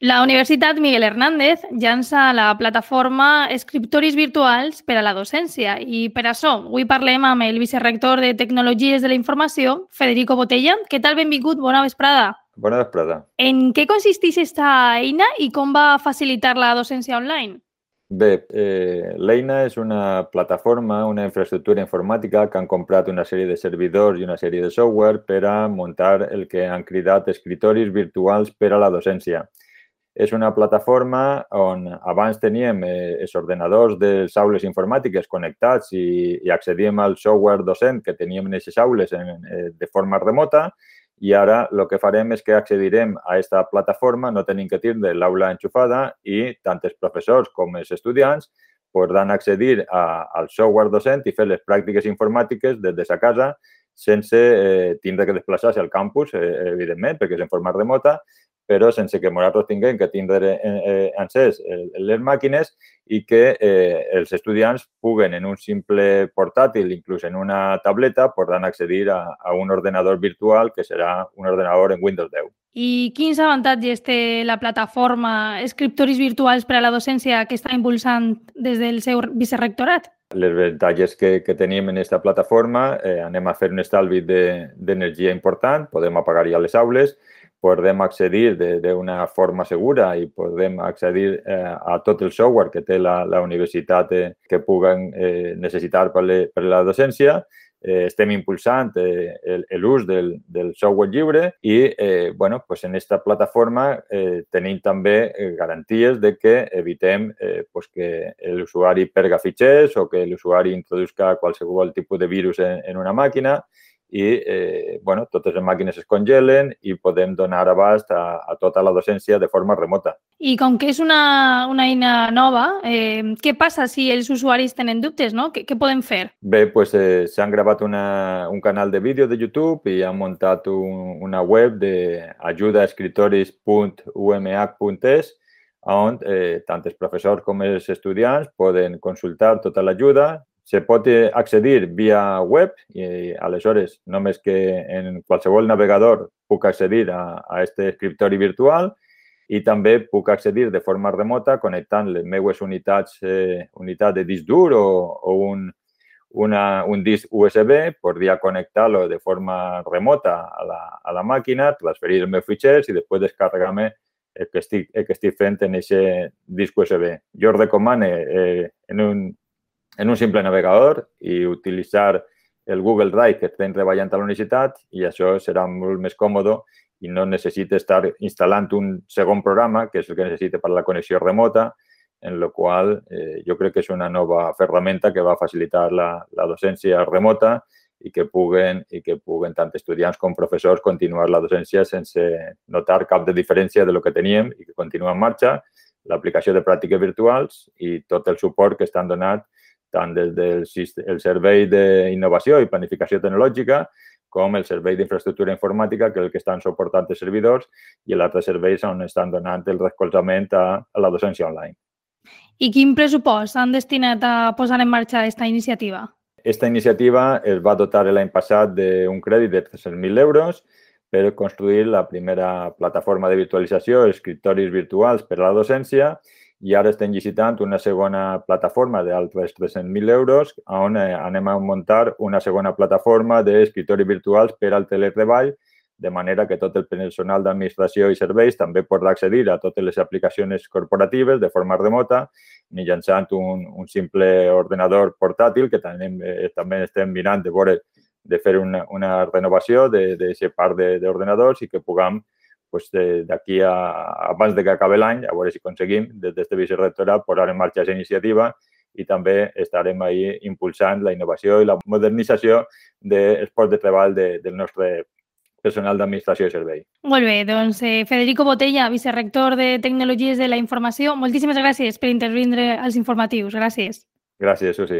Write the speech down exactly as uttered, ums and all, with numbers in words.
La Universitat Miguel Hernández llança la plataforma Escriptoris Virtuals per a la docència i per això avui parlem amb el vicerrector de Tecnologies de la Informació, Federico Botella. Què tal? Benvingut, bona vesprada. Bona vesprada. En què consisteix aquesta eina i com va facilitar la docència online? Bé, eh, l'eina és una plataforma, una infraestructura informàtica que han comprat una sèrie de servidors i una sèrie de software per a muntar el que han cridat escritoris virtuals per a la docència. És una plataforma on abans teníem eh, els ordenadors de les aules informàtiques connectats i, i accedíem al software docent que teníem en aquestes aules en, eh, de forma remota i ara el que farem és que accedirem a aquesta plataforma, no tenim que tindre l'aula enxufada i tant els professors com els estudiants podran accedir a, al software docent i fer les pràctiques informàtiques des de sa casa sense eh, tindre que desplaçar-se al campus, eh, evidentment, perquè és en forma remota, però sense que nosaltres tinguem que tindre eh, encès les màquines i que eh, els estudiants puguen en un simple portàtil, inclús en una tableta, podran accedir a, a un ordenador virtual que serà un ordenador en Windows deu. I quins avantatges té la plataforma Escriptoris Virtuals per a la docència que està impulsant des del seu vicerrectorat? Les avantatges que, que tenim en aquesta plataforma, eh, anem a fer un estalvi d'energia de, important, podem apagar ja les aules, podem accedir d'una forma segura i podem accedir eh, a tot el software que té la, la universitat eh, que puguen eh, necessitar per, le, per la docència. Eh, estem impulsant eh, l'ús del, del software lliure i eh, bueno, pues en aquesta plataforma eh, tenim també eh, garanties de que evitem eh, pues que l'usuari perga fitxers o que l'usuari introduzca qualsevol tipus de virus en, en una màquina i eh, bueno, totes les màquines es congelen i podem donar abast a, a tota la docència de forma remota. I com que és una, una eina nova, eh, què passa si els usuaris tenen dubtes, no? Què, què podem fer? Bé, doncs eh, s'han gravat una, un canal de vídeo de YouTube i han muntat un, una web de ajudaescritoris punt u m h punt e s on eh, tant els professors com els estudiants poden consultar tota l'ajuda. Se pot accedir via web i aleshores només que en qualsevol navegador puc accedir a aquest escriptori virtual i també puc accedir de forma remota connectant les meves unitats, eh, unitat de disc dur o, o un, una, un disc U S B, podria connectar-lo de forma remota a la, a la màquina, transferir els meus fitxers i després descarregar-me el que estic, el que estic fent en aquest disc U S B. Jo recomano eh, en un en un simple navegador i utilitzar el Google Drive que estem treballant a la universitat i això serà molt més còmode i no necessita estar instal·lant un segon programa, que és el que necessita per a la connexió remota, en la qual eh, jo crec que és una nova ferramenta que va facilitar la, la docència remota i que puguen, i que puguen tant estudiants com professors continuar la docència sense notar cap de diferència de lo que teníem i que continua en marxa, l'aplicació de pràctiques virtuals i tot el suport que estan donant tant des del el Servei d'Innovació i Planificació Tecnològica com el Servei d'Infraestructura Informàtica, que és el que estan suportant els servidors, i l'altre serveis on estan donant el recolzament a, a la docència online. I quin pressupost han destinat a posar en marxa aquesta iniciativa? Aquesta iniciativa es va dotar l'any passat d'un crèdit de tres-cents mil euros per construir la primera plataforma de virtualització, escriptoris virtuals per a la docència, i ara estem licitant una segona plataforma d'altres tres-cents mil euros on anem a muntar una segona plataforma d'escriptoris virtuals per al teletreball, de manera que tot el personal d'administració i serveis també podrà accedir a totes les aplicacions corporatives de forma remota mitjançant un, un simple ordenador portàtil que també, eh, també estem mirant de veure de fer una, una renovació d'aquesta part d'ordenadors i que puguem pues, d'aquí a abans de que acabi l'any, a veure si aconseguim des d'aquest vicerrectorat posar en marxa aquesta iniciativa i també estarem ahí impulsant la innovació i la modernització dels llocs de treball de, del nostre personal d'administració i servei. Molt bé, doncs eh, Federico Botella, vicerrector de Tecnologies de la Informació, moltíssimes gràcies per intervindre als informatius. Gràcies. Gràcies, Susi.